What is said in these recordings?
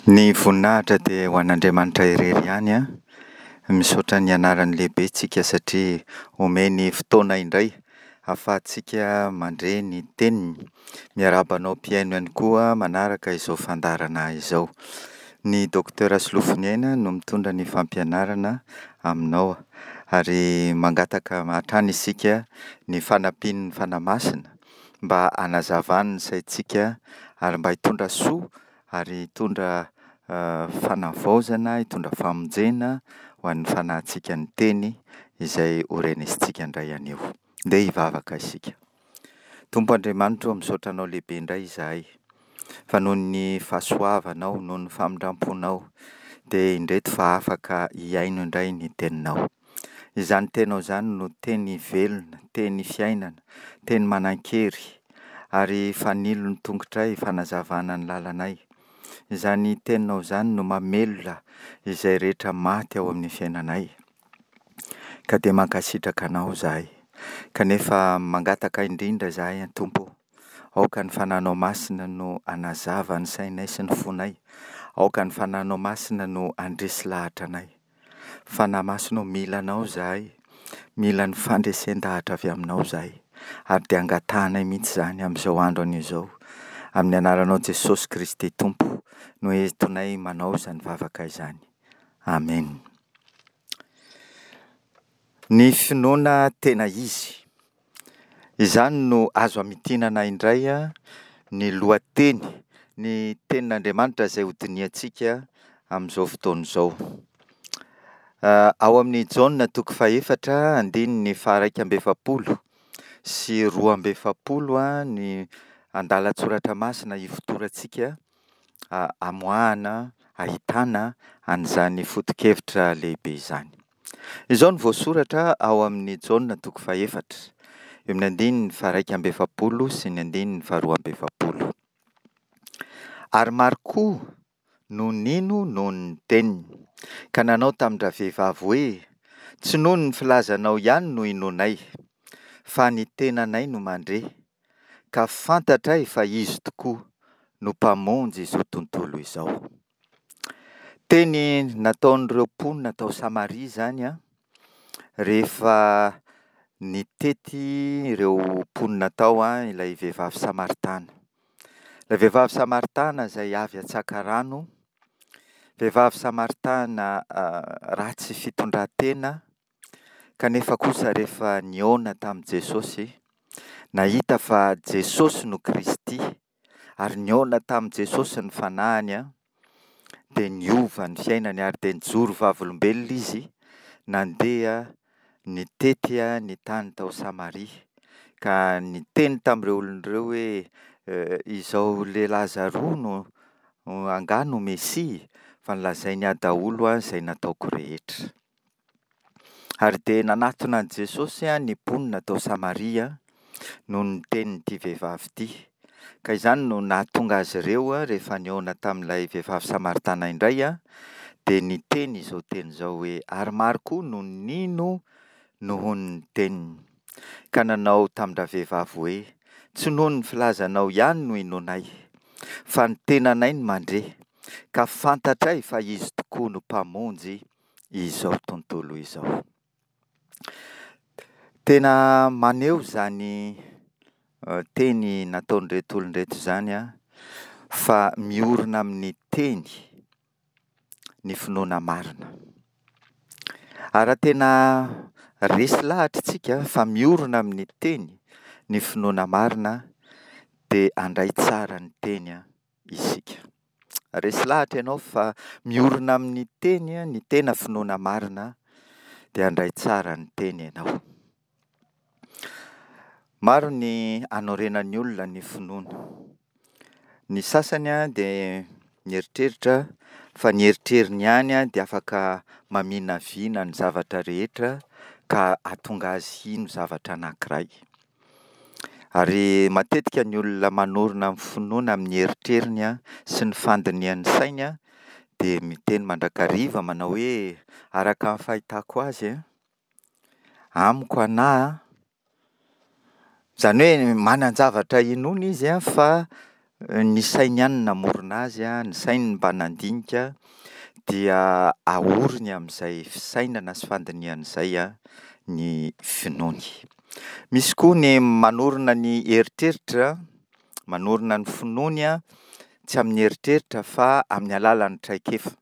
Ny voninahitra dia ho an'Andriamanitra irery ihany an. Misaotra ny anarany lehibe tsika satria omeny fotoana indray ahafahantsika mandre ny teniny. Miarahaba anao mpihaino ihany koa manaraka izao fandaharana izao. Ny Docteur Solofoniaina no mitondra ny fampianarana aminao ary mangataka hatrany isika ny fanampian'ny Fanahy Masina mba hanazavany ny saintsika ary mba hitondra soa ary hitondra fanavaozana, hitondra famonjena ho an'ny fanahintsika ny teny izay ho renesintsika indray anio. Ndeha hivavaka isika. Tompo Andriamanitra ô, misaotra Anao lehibe indray izahay fa noho ny fahasoavanao, noho ny famindram-ponao dia indreto fa afaka hihaino indray ny teninao. Izany teninao izany no teny velona, teny fiainana, teny manan-kery ary fanilo ny tongotray, fanazavana ny lalanay. Izany teninao izany no mamelona izay rehetra maty ao amin'ny fiainanay. Ka dia mankasitraka anao izahay. Kanefa mangataka indrindra izahay Tompo ô, aoka ny Fanahinao Masina no hanazava ny sainay sy ny fonay. Aoka ny Fanahinao Masina no handresy lahatra anay. Fanahy Masina ô, mila Anao izahay, mila ny fandresen-dahatra avy Aminao izahay, ary dia angatahanay mihitsy izany amin'izao andro anio izao. Amin'ny anaranao Jesosy Kristy Tompo no entinay manao izany vavaka izany. Amena. Ny finoana tena izy. Izany no azo amintinana indray ny lohateny, ny tenin'Andriamanitra izay hodinihantsika amin'izao fotoana izao. Ao amin'ny Jaona toko fahefatra andininy faharaika amby efapolo sy 42 ny andalan-tsoratra masina ifotorantsika amoahana, ahitana an'izany foto-kevitra lehibe izany. Izao no voasoratra ao amin'ny Jaona toko fahefatra, eo amin'ny andininy faha-41 sy ny andininy faha-42. Ary maro koa no nino noho ny teniny, ka nanao tamin-dravehivavy hoe, Tsy noho ny filazanao ihany no inoanay, fa ny tenanay no mandre, ka fantatray fa Izy tokoa no Mpamonjy izao tontolo izao. Teny nataon'ireo mponina tao Samaria izany an, rehefa nitety ireo mponina tao an ilay vehivavy samaritana. Ilay vehivavy samaritana izay avy hatsaka rano, vehivavy samaritana ratsy fitondran-tena, kanefa kosa rehefa nihaona tamin'i Jesosy, nahita fa Jesosy no Kristy, ary nihaona tamin'i Jesosy ny fanahiny dia niova ny fiainany ary dia nijoro vavolombelona izy nandeha nitety ny tany tao Samaria ka niteny tamin'ireo olona ireo hoe izao lehilahy zaroa no angaha no Mesia fa nolazainy ahy daholo izay nataoko rehetra. Ary dia nanatona an'i Jesosy ny mponina tao Samaria noho ny tenin'ity vehivavy ity. Ka izany no nahatonga azy ireo rehefa nihaona tamin'ilay vehivavy samaritana indray dia niteny izao teny izao hoe, ary maro koa no nino noho ny teniny. Ka nanao tamin-dravehivavy hoe, tsy noho ny filazanao ihany no inoanay, fa ny tenanay no mandre, ka fantatray fa Izy tokoa no Mpamonjy izao tontolo izao. Tena maneho izany teny nataon'ireto olona ireto izany fa miorina amin'ny teny ny finoana marina. Ary raha tena resy lahatra isika fa miorina amin'ny teny ny finoana marina dia handray tsara ny teny isika. Resy lahatra ianao fa miorina amin'ny teny ny tena finoana marina dia handray tsara ny teny ianao. Maro ny anorenan'ny olona ny finoana. Ny sasany dia mieritreritra fa ny eritreriny ihany dia afaka maminavina ny zavatra rehetra ka hahatonga azy hino zavatra anankiray. Ary matetika ny olona manorina ny finoana amin'ny eritreriny sy ny fandinihan'ny sainy dia miteny mandrakariva manao hoe araka ny fahitako azy, amiko anahy, izany hoe manan-javatra inoana izy fa. ny sainy ihany no namorona azy, ny sainy no mba nandinika dia ahorony amin'izay fisainana sy fandinihana izay ny finoany. Misy koa ny manorina ny eritreritra, manorina ny finoany tsy amin'ny eritreritra fa amin'ny alalan'ny traikefa.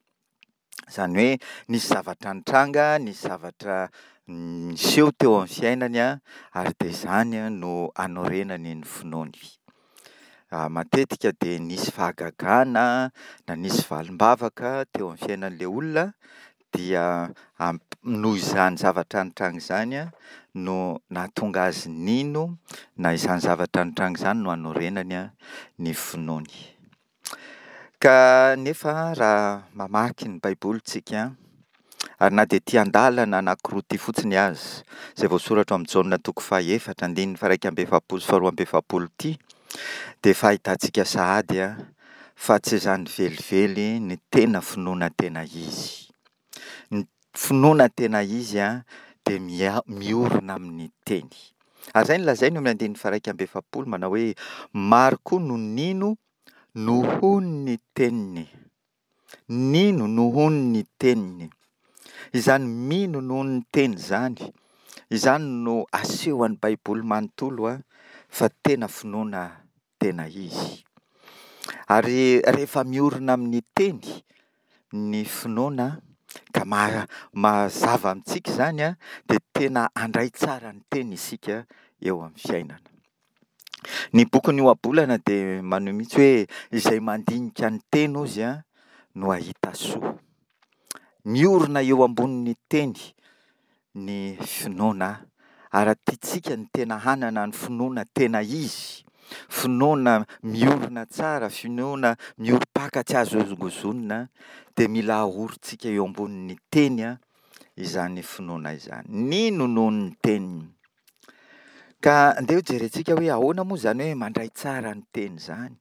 Izany hoe nisy zavatra nitranga, nisy zavatra niseho teo amin'ny fiainany ary dia izany no anorenany ny finoany. Matetika dia nisy fahagagana na nisy valim-bavaka teo amin'ny fiainan'ilay olona dia noho izany zavatra nitranga izany no nahatonga azy nino na izany zavatra nitranga izany no anorenany ny finoany. Kanefa raha mamaky ny Baiboly tsika, ary na dia ity andalana anankiroa ity fotsiny aza, izay voasoratra ao amin'ny Jaona toko fahaefatra andininy faha-41 sy faha-42 ity, dia efa ahitantsika sahady fa tsy izany velively ny tena finoana tena izy. Ny finoana tena izy dia miorina amin'ny teny. Ary izay no lazainy eo amin'ny andininy faha-41 manao hoe maro koa no nino nohon'ny teniny. Nino nohon'ny teniny. Izany mino nohon'ny teny izany, izany no asehon'ny Baiboly manontolo fa tena finoana tena izy. Ary rehefa miorina amin'ny teny ny finoana ka mazava amintsika izany dia tena handray tsara ny teny isika eo amin'ny fiainana. Ny bokin'ny ohabolana dia maneho mihitsy hoe izay mandinika ny teny hozy no hahita soa. Miorina eo ambonin'ny teny ny finoana ary raha tiantsika ny tena hanana ny finoana tena izy, finoana miorina tsara, finoana miorim-paka tsy azo hozongozonina dia mila aorintsika eo ambonin'ny teny izany finoana izany. Nino noho ny teniny. Ka andeha ho jerentsika hoe ahoana moa izany hoe mandray tsara ny teny izany.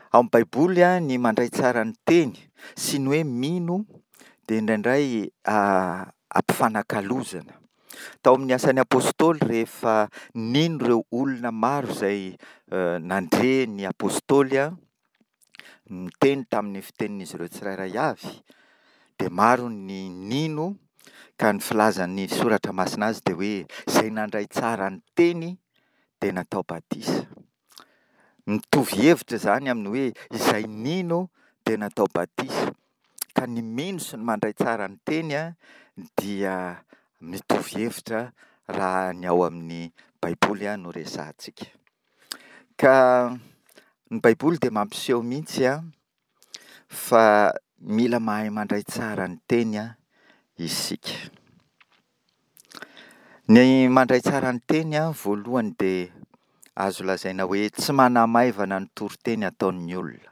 Ao amin'ny Baiboly ny mandray tsara ny teny sy ny hoe mino dia indraindray ampifanakalozana. Tao amin'ny Asan'ny Apostoly rehefa nino ireo olona maro izay nandre ny Apostoly niteny tamin'ny fitenin'izy ireo tsirairay avy dia maro ny nino ka ny filazan'ny soratra masina azy dia hoe izay nandray tsara ny teny dia natao batisa. Mitovy hevitra izany amin'ny hoe izay nino dia natao batisa. Ka ny mino sy ny mandray tsara ny teny dia mitovy hevitra raha ny ao amin'ny Baiboly no resahantsika. Ka ny Baiboly dia mampiseho mihitsy fa mila mahay mandray tsara ny teny isika. Ny mandray tsara ny teny voalohany dia azo lazaina hoe tsy manamaivana ny toriteny ataon'ny olona.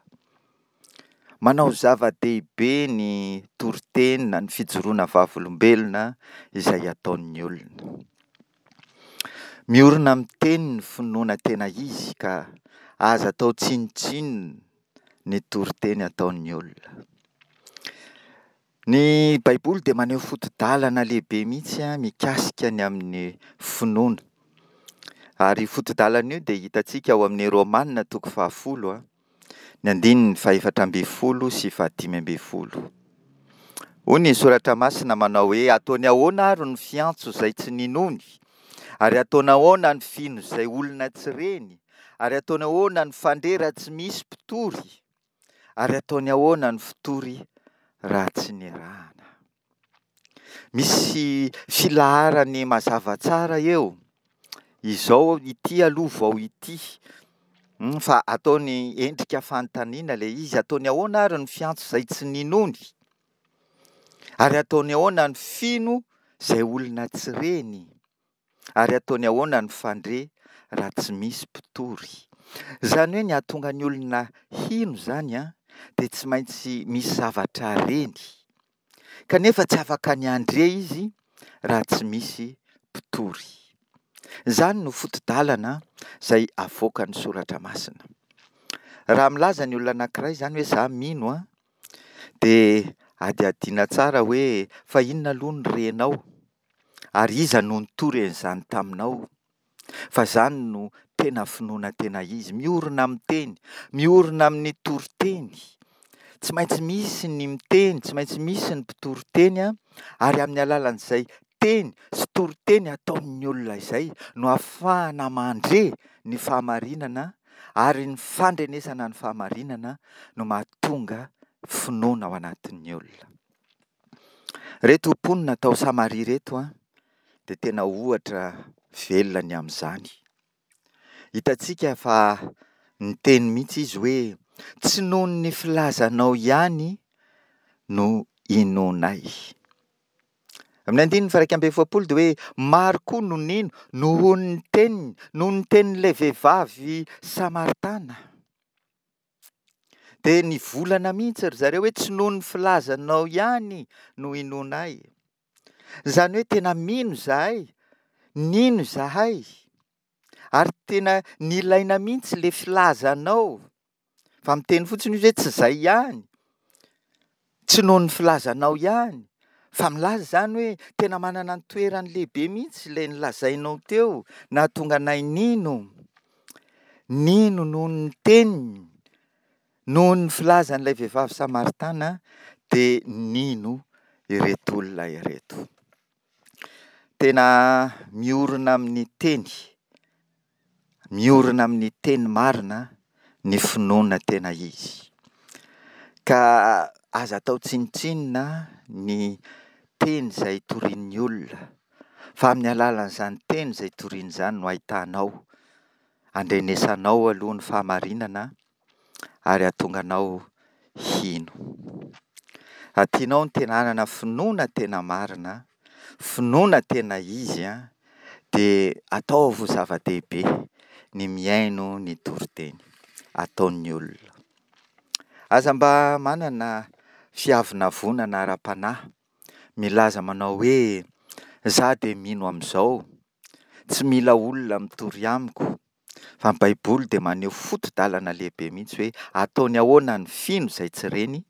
Manao zava-dehibe ny toriteny na ny fijoroana vavolombelona izay ataon'ny olona. Miorina amin'ny teny ny finoana tena izy ka aza atao tsinontsinona ny toriteny ataon'ny olona. Ny Baiboly dia maneho foto-dalana lehibe mihitsy mikasika ny amin'ny finoana. Ary io foto-dalana io dia hitantsika ao amin'ny Romana toko fahafolo, ny andininy fahefatra ambin'ny folo sy fahadimy ambin'ny folo. Hoy ny soratra masina manao hoe ataony ahoana ary ny fiantso izay tsy ninoany? Ary ataony ahoana ny fino izay olona tsy reny? Ary ataony ahoana ny fandre raha tsy misy mpitory? Ary ataony ahoana ny fitory raha tsy nirahana? Misy filaharany mazava tsara eo. Izao ity aloha vao ity. Fa ataony endrika fanontaniana ilay izy. Ataony ahoana ary ny fiantso izay tsy ninoany? Ary ataony ahoana ny fino izay olona tsy reny? Ary ataony ahoana ny fandre raha tsy misy mpitory? Izany hoe ny hahatonga ny olona hino izany dia tsy maintsy misy zavatra reny. Kanefa tsy afaka ny handre izy raha tsy misy mpitory. Izany no foto-dalana izay avoakan'ny soratra masina. Raha milaza ny olona anankiray izany hoe za mino dia hadihadiana tsara hoe fa inona aloha no renao? Ary iza no nitory an'izany taminao? Fa izany no tena finoana tena izy, miorina amin'ny teny, miorina amin'ny toriteny. Tsy maintsy misy ny miteny, tsy maintsy misy ny mpitory teny ary amin'ny alalan'izay teny sy toriteny ataon'ny olona izay no ahafahana mandre ny fahamarinana ary ny fandrenesana ny fahamarinana no mahatonga finoana ao anatin'ny olona. Ireto mponina tao Samaria ireto dia tena ohatra velona ny amin'izany. Hitantsika fa niteny mihitsy izy hoe, Tsy noho ny filazanao ihany no inoanay. Amin'ny andininy faha-41 dia hoe maro koa no nino noho ny teniny, noho ny tenin'ilay vehivavy samaritana. Dia nivolana mihitsy ry zareo hoe tsy noho ny filazanao ihany no inoanay. Izany hoe tena mino izahay, nino izahay, ary tena nilaina mihitsy ilay filazanao. Fa miteny fotsiny izy hoe tsy izay ihany, tsy noho ny filazanao ihany, fa milaza izany hoe tena manana ny toerany lehibe mihitsy ilay nolazainao teo, nahatonga anay nino. Nino noho ny teniny, noho ny filazan'ilay vehivavy samaritana dia nino ireto olona ireto. Tena miorina amin'ny teny, miorina amin'ny teny marina ny finoana tena izy. Ka aza atao tsinontsinona ny teny izay torian'ny olona, fa amin'ny alalan'izany teny izay toriany izany no ahitanao, andrenesanao aloha ny fahamarinana ary hahatonga anao hino. Raha tianao ny tena hanana finoana tena marina, finoana tena izy dia ataovy ho zava-dehibe ny mihaino ny toriteny ataon'ny olona. Aza mba manana fiavonavonana ara-panahy milaza manao hoe izaho dia mino amin'izao, tsy mila olona mitory amiko. Fa ny Baiboly dia maneho foto-dalana lehibe mihitsy hoe ataony ahoana ny fino izay tsy reny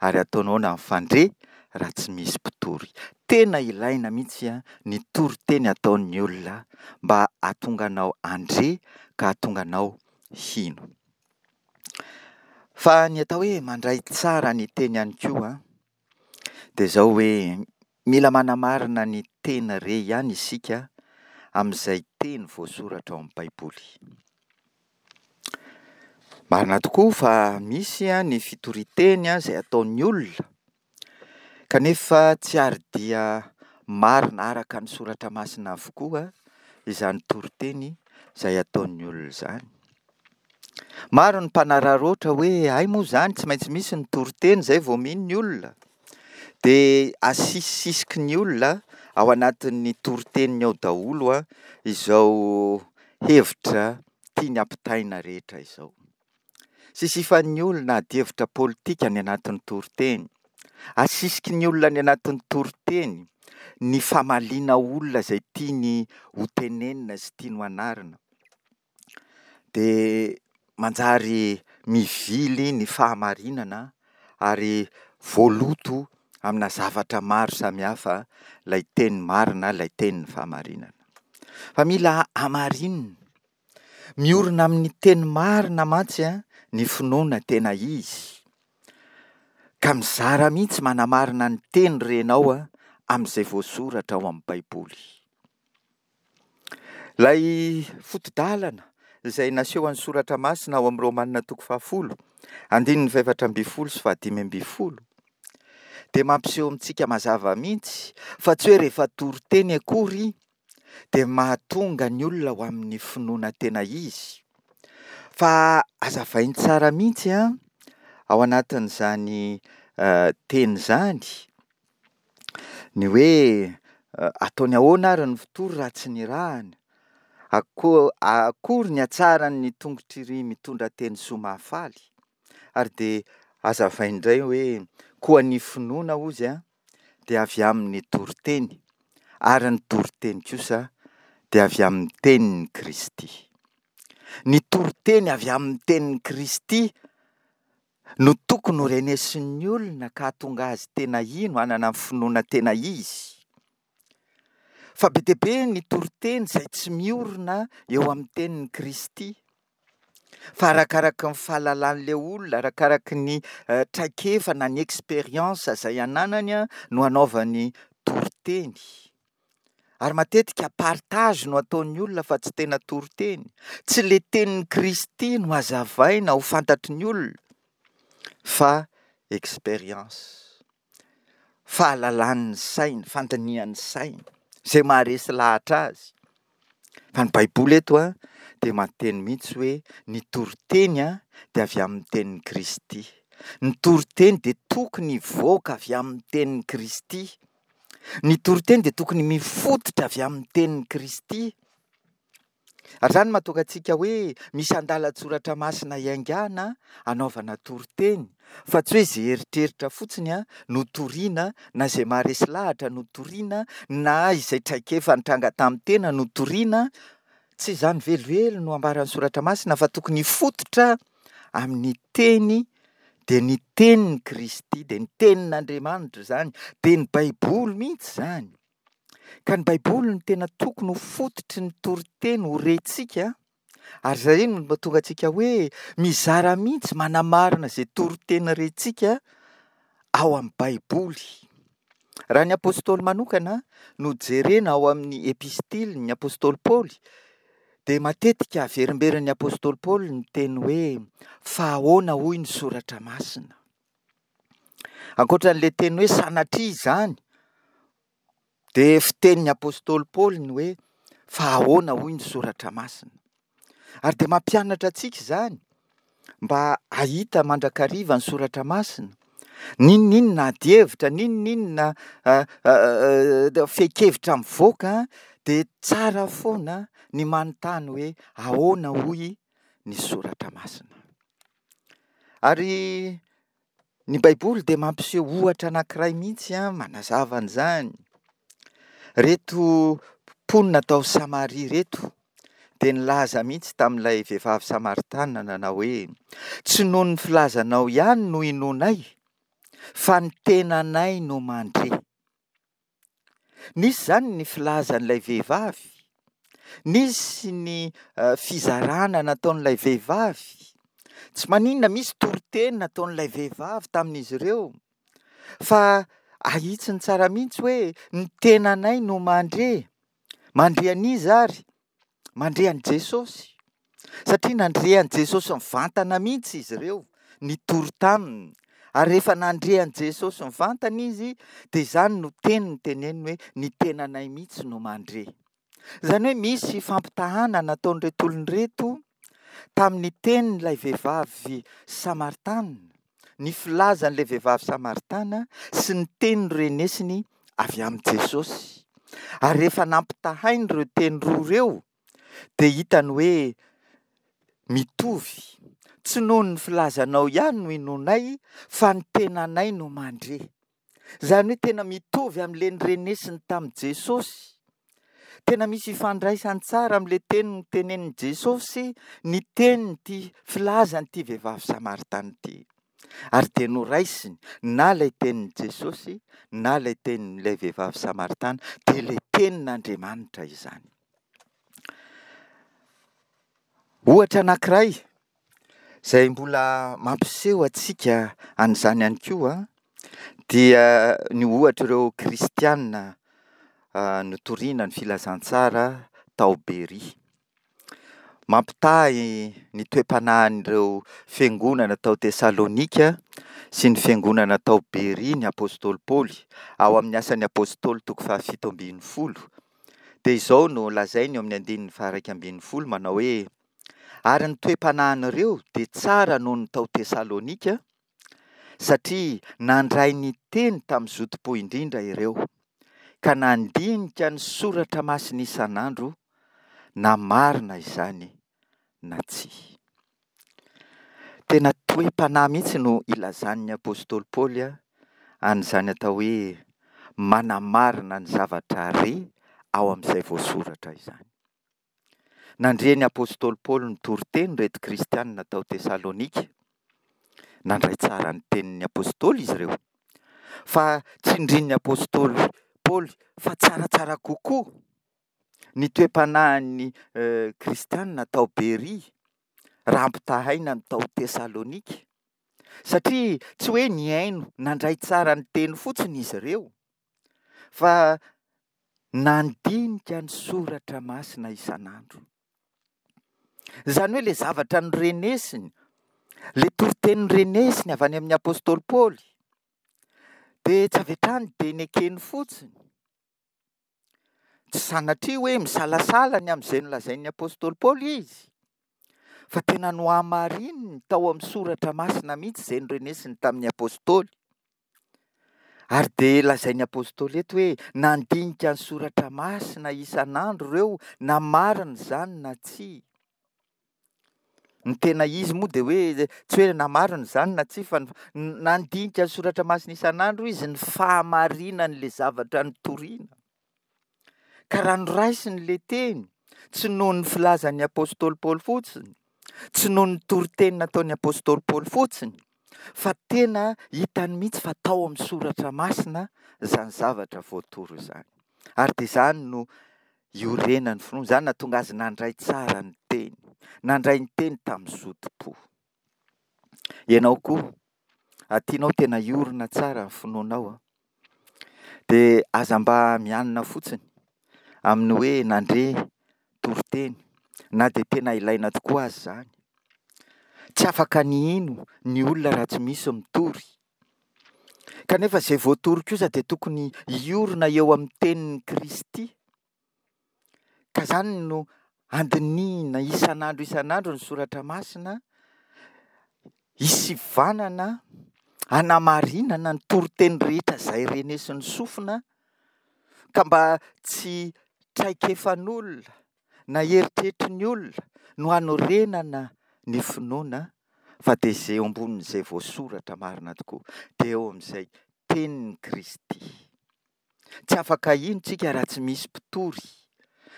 ary ataony ahoana ny fandre raha tsy misy mpitory. Tena ilaina mihitsy ny toriteny ataon'ny olona mba hahatonga anao handre ka hahatonga anao hino. Fa ny atao hoe mandray tsara ny teny ihany koa dia izao hoe mila manamarina ny teny re ihany isika amin'izay teny voasoratra ao amin'ny Baiboly. Marina tokoa fa misy ny fitorian-teny izay ataon'ny olona, kanefa tsy ary dia marina araka ny soratra masina avokoa izany toriteny izay ataon'ny olona izany. Maro ny mpanararaotra hoe hay moa izany tsy maintsy misy ny toriteny izay vao mino ny olona. Dia asisisiky ny olona ao anatin'ny toriteniny ao daholo izao hevitra tiany hampitaina rehetra izao. Sisifan'ny olona adihevitra politika any anatin'ny toriteny. Asisiky ny olona any anatin'ny toriteny ny famaliana olona izay tiany hotenenina sy tiany ho anarina. Dia manjary mivily ny fahamarinana ary voaloto amina zavatra maro samihafa ilay teny marina, ilay tenin'ny fahamarinana. Fa mila hamarinina. Miorina amin'ny teny marina mantsy ny finoana tena izy. Ka mizara mihitsy manamarina ny teny renao amin'izay voasoratra ao amin'ny Baiboly. Ilay foto-dalana izay nasehon'ny soratra masina ao amin'ny Romana toko fahafolo, andininy fahefatra ambin'ny folo sy fahadimy ambin'ny folo, dia mampiseho amintsika mazava mihitsy fa tsy hoe rehefa toriteny akory dia mahatonga ny olona ho amin'ny finoana tena izy. Fa hazavainy tsara mihitsy ao anatin'izany teny izany ny hoe ataony ahoana ary ny fitory raha tsy nirahana? Akory ny hatsaran'ny tongotr'iry mitondra teny soa mahafaly? Ary dia hazavainy indray hoe koa ny finoana hozy dia avy amin'ny toriteny ary ny toriteny kosa dia avy amin'ny tenin'i Kristy. Ny toriteny avy amin'ny tenin'i Kristy no tokony ho renesin'ny olona ka hahatonga azy tena hino, hanana ny finoana tena izy. Fa be dia be ny toriteny izay tsy miorina eo amin'ny tenin'i Kristy. Fa arakaraky ny fahalalan'ilay olona, arakaraky ny traikefa na ny expérience izay ananany no anaovany toriteny. Ary matetika partage no ataon'ny olona fa tsy tena toriteny. Tsy ilay tenin'i Kristy no hazavaina ho fantatry ny olona fa expérience. Fahalalan'ny saina, fandinihan'ny saina, izay maharesy lahatra azy. Fa ny Baiboly eto dia mampiteny mihitsy hoe ny toriteny dia avy amin'ny tenin'i Kristy. Ny toriteny dia tokony hivoaka avy amin'ny tenin'i Kristy. Ny toriteny dia tokony mifototra avy amin'ny tenin'i Kristy. Ary izany no mahatonga antsika hoe misy andalan-tsoratra masina iaingàna anaovana toriteny, fa tsy hoe izay eritreritra fotsiny no toriana, na izay maharesy lahatra no toriana, na izay traikefa nitranga tamin'ny tena no toriana. Tsy izany velively no ambaran'ny soratra masina fa tokony hifototra amin'ny teny, dia ny tenin'i Kristy, dia ny tenin'Andriamanitra izany, dia ny Baiboly mihitsy izany. Ka ny Baiboly no tena tokony ho fototry ny toriteny ho rentsika, ary izay no mahatonga antsika hoe mizara mihitsy manamarina izay toriteny rentsika ao amin'ny Baiboly. Raha ny apostoly manokana no jerena ao amin'ny epistiliny, ny apostoly Paoly, dia matetika averimberin'ny apostoly Paoly ny teny hoe fa ahoana hoy ny soratra masina. Ankoatra an'ilay teny hoe sanatria izany, dia fitenin'ny apostoly Paoly ny hoe fa ahoana hoy ny soratra masina. Ary dia mampianatra antsika izany mba hahita mandrakariva ny soratra masina. N'inon'inona adihevitra, n'inon'inona fehin-kevitra mivoaka dia tsara foana ny manontany hoe ahoana hoy ny soratra masina. Ary ny Baiboly dia mampiseho ohatra anankiray mihitsy manazava an'izany. Ireto mponina tao Samaria ireto dia nilaza mihitsy tamin'ilay vehivavy samaritana nanao hoe, Tsy noho ny filazanao ihany no inoanay, fa ny tenanay no mandre. Nisy izany ny filazan'ilay vehivavy, nisy ny fizarana nataon'ilay vehivavy, tsy maninona misy toriteny nataon'ilay vehivavy tamin'izy ireo, fa ahitsiny tsara mihitsy hoe ny tenanay no mandre, mandre an'iza ary? Mandre an'i Jesosy. Satria nandre an'i Jesosy mivantana mihitsy izy ireo, nitory taminy. Ary rehefa nandre an'i Jesosy mivantana izy, dia izany no teny noteneniny hoe, ny tenanay mihitsy no mandre. Izany hoe misy fampitahana nataon'ireto olona ireto tamin'ny tenin'ilay vehivavy samaritana, ny filazan'ilay vehivavy samaritana sy ny teny norenesiny avy amin'i Jesosy. Ary rehefa nampitahainy ireo teny roa ireo, dia hitany hoe mitovy. Tsy noho ny filazanao ihany no inoanay, fa ny tenanay no mandre. Izany hoe tena mitovy amin'ilay norenesiny tamin'i Jesosy. Tena misy ifandraisany tsara amin'ilay teny notenenin'i Jesosy ny tenin'ity filazan'ity vehivavy samaritana ity. Ary dia noraisiny na ilay tenin'i Jesosy na ilay tenin'ilay vehivavy samaritana, dia ilay tenin'Andriamanitra izany. Ohatra anankiray izay mbola mampiseho antsika an'izany ihany koa dia ny ohatr'ireo kristiana notoriana ny filazantsara tao Beria. Mampitaha ny toe-panahin'ireo fiangonana tao Tesalonika sy ny fiangonana tao Beria ny apostoly Paoly ao amin'ny Asan'ny Apostoly toko fahafito ambin'ny folo. Dia izao no lazainy eo amin'ny andininy faha-11 manao hoe, Ary ny toe-panahin'ireo dia tsara noho ny tao Tesalonika, satria nandray ny teny tamin'ny zotom-po indrindra ireo, ka nandinika ny soratra masina isan'andro, na marina izany na tsia. Tena toe-panahy mihitsy no ilazan'ny apostoly Paoly an'izany atao hoe manamarina ny zavatra re ao amin'izay voasoratra izany. Nandre ny apostoly Paoly nitory teny ireto kristianina tao Tesalonika. Nandray tsara ny tenin'ny apostoly izy ireo. Fa tsindrin'ny apostoly Paoly. Paoly fa tsaratsara kokoa ny toe-panahin'ny kristiana tao Beria raha ampitahaina ny tao Tesalonika, satria tsy hoe nihaino nandray tsara ny teny fotsiny izy ireo, fa nandinika ny soratra masina isan'andro. Izany hoe ilay zavatra norenesiny, ilay toriteny norenesiny avy any amin'ny apostoly Paoly, dia tsy avy hatrany dia nekeny fotsiny. Tsy sanatria hoe misalasala ny amin'izay nolazain'ny apostoly Paoly izy, fa tena nohamarininy tao amin'ny soratra masina mihitsy izay norenesiny tamin'ny apostoly. Ary dia lazain'ny apostoly eto hoe nandinika ny soratra masina isan'andro ireo na marina izany na tsia. Ny tena izy moa dia hoe tsy hoe na marina izany na tsia fa nandinika ny soratra masina isan'andro izy ny fahamarinan'ilay zavatra notorina. Ka raha noraisiny ilay teny, tsy noho ny filazan'ny apostoly Paoly fotsiny, tsy noho ny toriteny nataon'ny apostoly Paoly fotsiny, fa tena hitany mihitsy fa tao amin'ny soratra masina izany zavatra voatoro izany. Ary dia izany no iorenan'ny finoana, izany nahatonga azy nandray tsara ny teny, nandray ny teny tamin'ny zotom-po. Ianao koa, raha tianao tena hiorina tsara ny finoanao, dia aza mba mianina fotsiny amin'ny hoe nandre toriteny, na dia tena ilaina tokoa aza izany. Tsy afaka ny hino ny olona raha tsy misy mitory. Kanefa izay voatory kosa dia tokony hiorina eo amin'ny tenin'i Kristy. Ka izany no andinihina isan'andro isan'andro ny soratra masina, hisivanana, hanamarinana ny toriteny rehetra izay renesin'ny sofina, ka mba tsy traikefan'olona na eritreritry ny olona no hanorenana ny finoana fa dia izay eo ambonin'izay voasoratra marina tokoa, dia eo amin'izay tenin'i Kristy. Tsy afaka hino tsika raha tsy misy mpitory,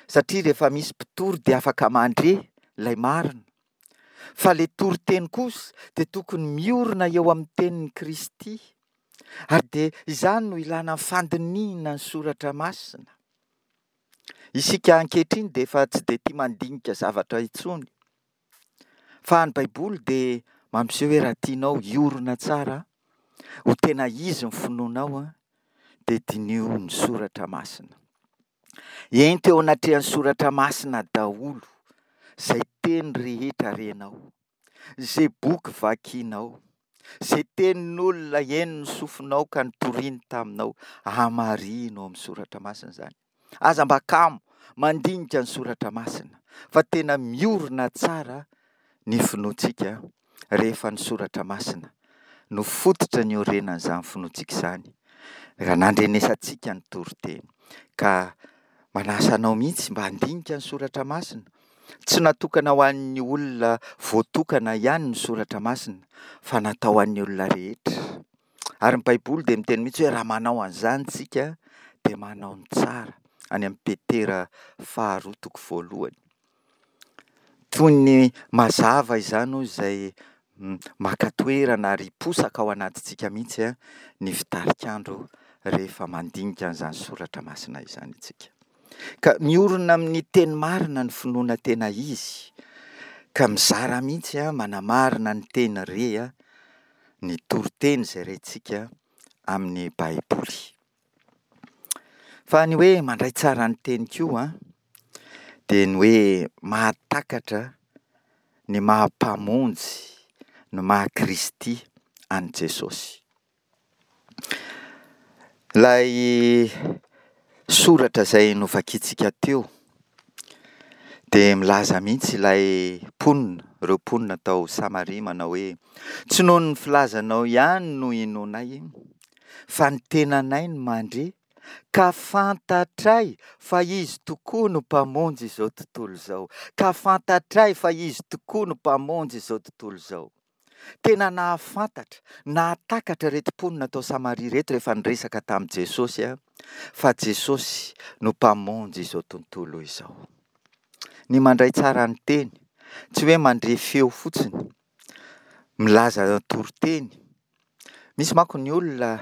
satria rehefa misy mpitory dia afaka mandre ilay marina. Fa ilay toriteny kosa dia tokony miorina eo amin'ny tenin'i Kristy. Ary dia izany no ilana ny fandinihina ny soratra masina. Isika ankehitriny dia efa tsy dia tia mandinika zavatra intsony. Fa ny Baiboly dia mampiseho hoe raha tianao hiorina tsara, ho tena izy ny finoanao, dia diniho ny soratra masina. Ento eo anatrehan'ny soratra masina daholo izay teny rehetra renao, izay boky vakinao, izay tenin'olona henon'ny sofinao ka nitoriany taminao, hamarino ao amin'ny soratra masina izany. Aza mba kamo mandinika ny soratra masina fa tena miorina tsara ny finoantsika rehefa ny soratra masina no fototra niorenan'izany finoantsika izany, raha nandrenesantsika ny toriteny. Ka manasa anao mihitsy mba handinika ny soratra masina. Tsy natokana ho an'ny olona voatokana ihany ny soratra masina fa natao ho an'ny olona rehetra. Ary ny Baiboly dia miteny mihitsy hoe raha manao an'izany isika dia manao ny tsara, any amin'ny Petera faharoa toko voalohany. Toy ny mazava izany hoy izay maka toerana ary hiposaka ao anatintsika mihitsy ny fitarikandro rehefa mandinika an'izany soratra masina izany isika. Ka miorina amin'ny teny marina ny finoana tena izy, ka mizara mihitsy manamarina ny teny re ny toriteny izay rentsika amin'ny Baiboly. Fa ny hoe mandray tsara ny teny koa dia ny hoe mahatakatra ny maha Mpamonjy, ny maha Kristy an'i Jesosy. Ilay soratra izay novakintsika teo dia milaza mihitsy ilay mponina, ireo mponina tao Samaria manao hoe, tsy noho ny filazanao ihany no inoanay, fa ny tenanay no mandre ka fantatray fa Izy tokoa no Mpamonjy izao tontolo izao. Ka fantatray fa Izy tokoa no Mpamonjy izao tontolo izao. Tena nahafantatra, nahatakatra ireto mponina tao Samaria ireto rehefa niresaka tamin'i Jesosy fa Jesosy no Mpamonjy izao tontolo izao. Ny mandray tsara ny teny, tsy hoe mandre feo fotsiny, milaza toriteny. Misy manko ny olona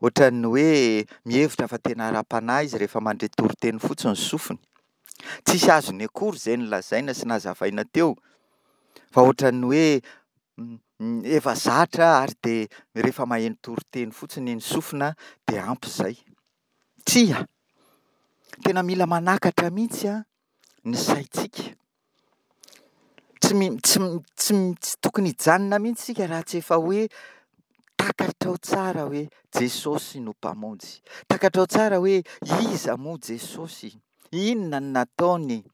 Ohatran'ny hoe mihevitra fa tena ara-panahy izy rehefa mandre toriteny fotsiny ny sofiny. Tsisy azony akory izay nolazaina sy nazavaina teo fa ohatran'ny hoe efa zatra ary dia rehefa maheno toriteny fotsiny ny sofina dia ampy izay. Tsia! Tena mila manakatra mihitsy ny saintsika. Tsy tsy tsy tsy tokony hijanona mihitsy isika raha tsy efa hoe takatrao tsara hoe Jesosy no Mpamonjy. Takatrao tsara hoe iza moa Jesosy? Inona no nataony?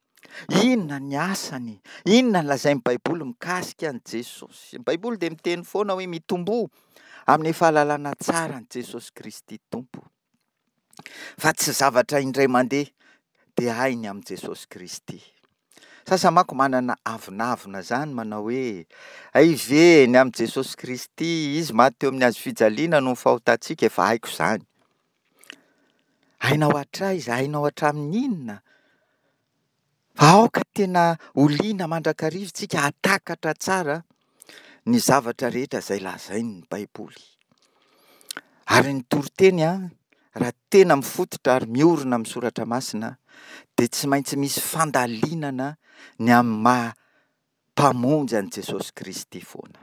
Inona ny asany? Inona no lazain'ny Baiboly mikasika an'i Jesosy? Ny Baiboly dia miteny foana hoe mitomboa amin'ny fahalalana tsara an'i Jesosy Kristy Tompo. Fa tsy zavatra indray mandeha dia hay ny amin'i Jesosy Kristy. Sasany manko manana avonavona izany manao hoe, hay ve ny amin'i Jesosy Kristy, Izy maty teo amin'ny hazo fijaliana noho ny fahotantsika, efa haiko izany. Hainao hatraiza? Hainao hatramin'ny inona? Fa aoka tena ho liana mandrakariva isika hahatakatra tsara ny zavatra rehetra izay lazain'ny Baiboly. Ary ny toriteny raha tena mifototra ary miorina amin'ny soratra masina dia tsy maintsy misy fandalinana ny amin'ny maha Mpamonjy an'i Jesosy Kristy foana.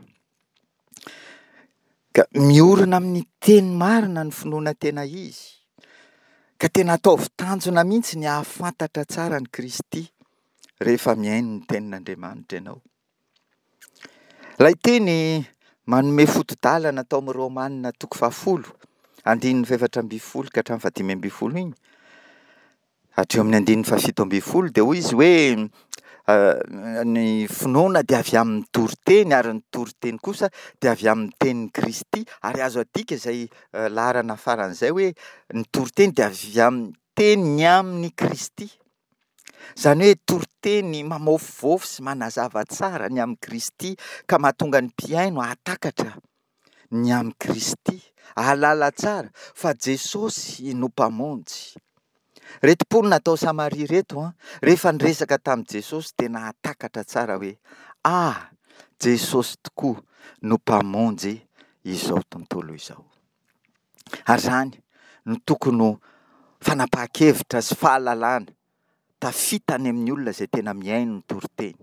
Ka miorina amin'ny teny marina ny finoana tena izy. Ka tena ataovy tanjona mihitsy ny hahafantatra tsara an'i Kristy rehefa mihaino ny tenin'Andriamanitra ianao. Ilay teny manome foto-dalana tao amin'ny Romana toko fahafolo, andininy fahefatra ambin'ny folo ka hatramin'ny fahadimy ambin'ny folo iny, Hatreo amin'ny andininy fahafito ambin'ny folo dia hoy izy hoe ny finoana dia avy amin'ny toriteny ary ny toriteny kosa dia avy amin'ny tenin'i Kristy ary azo adika izay laharana faran'izay hoe ny toriteny dia avy amin'ny teny ny amin'i Kristy. Izany hoe toriteny mamaofivaofy sy manazava tsara ny amin'i Kristy ka mahatonga ny mpihaino hahatakatra ny amin'i Kristy, hahalala tsara fa Jesosy no Mpamonjy. Ireto mponina tao Samaria ireto, rehefa niresaka tamin'i Jesosy dia nahatakatra tsara hoe, Ah, Jesosy tokoa no Mpamonjy izao tontolo izao. Ary izany no tokony ho fanapahan-kevitra sy fahalalana tafita any amin'ny olona izay tena mihaino ny toriteny.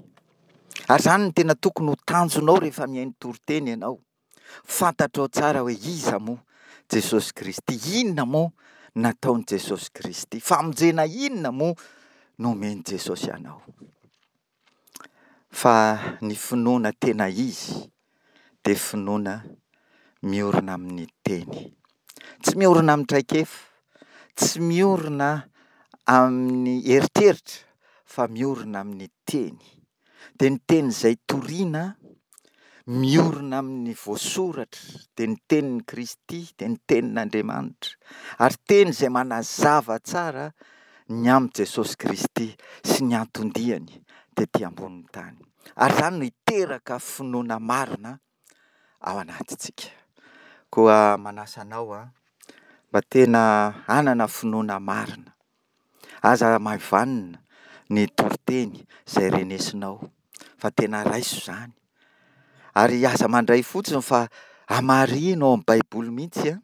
Ary izany no tena tokony ho tanjonao rehefa mihaino toriteny ianao. Fantatrao tsara hoe iza moa Jesosy Kristy, inona moa nataon'i Jesosy Kristy, famonjena inona moa nomen'i Jesosy anao. Fa ny finoana tena izy dia finoana miorina amin'ny teny. Tsy miorina amin'ny traikefa, tsy miorina amin'ny eritreritra fa miorina amin'ny teny. Dia ny teny izay toriana miorina amin'ny voasoratra, dia ny tenin'i Kristy, dia ny tenin'Andriamanitra. Ary teny izay manazava tsara ny amin'i Jesosy Kristy sy ny anton-diany tety ambonin'ny tany. Ary izany no hiteraka finoana marina ao anatintsika. Koa manasa anao aho mba tena hanana finoana marina. Aza hamaivanina ny toriteny izay renesinao fa tena raiso izany. Ary aza mandray fotsiny fa hamarino ao amin'ny Baiboly mihitsy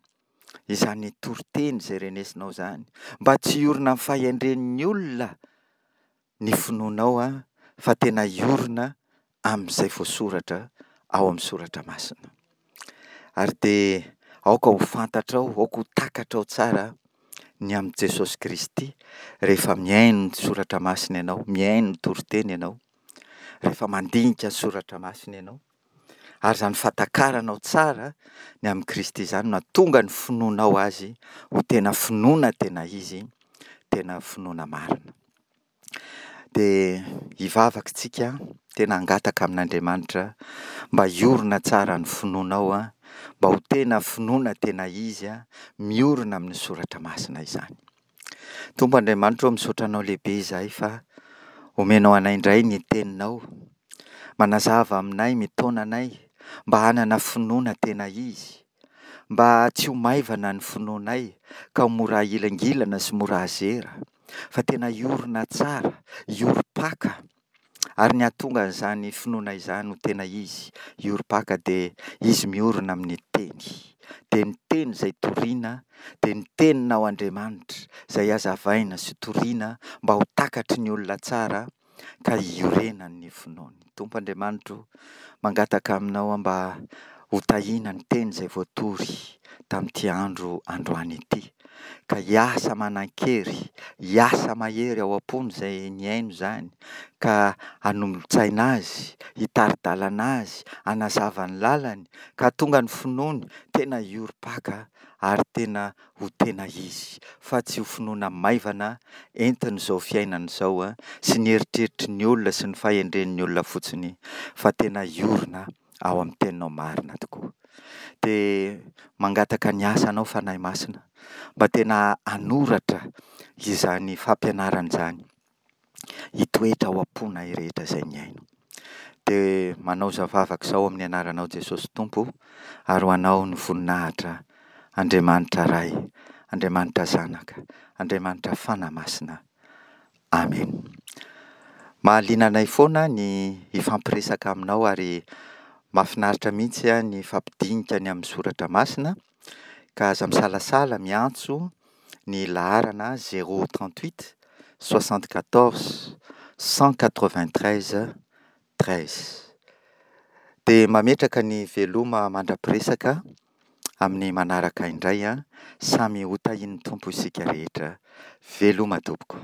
izany toriteny izay renesinao izany. Mba tsy hiorina amin'ny fahendren'ny olona ny finoanao fa tena hiorina amin'izay voasoratra ao amin'ny soratra masina. Ary dia aoka ho fantatrao, aoka ho takatrao tsara ny amin'i Jesosy Kristy rehefa mihaino ny soratra masina ianao, mihaino ny toriteny ianao, rehefa mandinika ny soratra masina ianao. Ary izany fahatakaranao tsara ny amin'i Kristy izany no hahatonga ny finoanao Azy ho tena finoana tena izy, tena finoana marina. Dia hivavaka isika, tena hangataka amin'Andriamanitra mba hiorina tsara ny finoanao, mba ho tena finoana tena izy, miorina amin'ny soratra masina izany. Tompo Andriamanitra ô, misaotra Anao lehibe izahay fa omenao anay indray ny Teninao. Manazava aminay, mitaona anay mba hanana finoana tena izy, mba tsy ho maivana ny finoanay ka ho mora ahilangilana sy mora azera, fa tena hiorina tsara, hiorim-paka. Ary ny hahatonga an'izany finoana izany ho tena izy, hiorim-paka dia izy miorina amin'ny Teny. dia ny teny izay toriana, dia ny teninao Andriamanitra izay hazavaina sy toriana mba ho takatry ny olona tsara ka hiorenan'ny finoany. Tompo Andriamanitra o, mangataka aminao aho mba ho tahiana ny teny izay voatory tamin'ity andro androany ity, ka hiasa manan-kery, hiasa mahery ao am-pony izay nihaino izany, ka hanolo-tsaina azy, hitari-dalana azy, hanazava ny lalany, ka hahatonga ny finoany tena hiorim-paka ary tena ho tena izy, fa tsy ho finoana maivana entin'izao fiainana izao sy ny eritreritry ny olona sy ny fahendren'ny olona fotsiny fa tena hiorina ao amin'ny teninao marina tokoa. Dia mangataka ny asanao Fanahy Masina mba tena hanoratra izany fampianarana izany hitoetra ao am-ponay rehetra izay mihaino. Dia manao izao vavaka izao amin'ny anaranao Jesosy Tompo ary ho anao ny voninahitra Andriamanitra Ray, Andriamanitra Zanaka, Andriamanitra Fanahy Masina. Amen. Mahaliana anay foana ny hifampiresaka aminao ary mahafinaritra mihitsy ny hifampidinika ny amin'ny soratra masina ka aza misalasala miantso ny laharana 038 74 193 13. Dia mametraka ny veloma mandra-piresaka amin'ny manaraka indray an, samy ho tahian'ny Tompo isika rehetra. Veloma tompoko.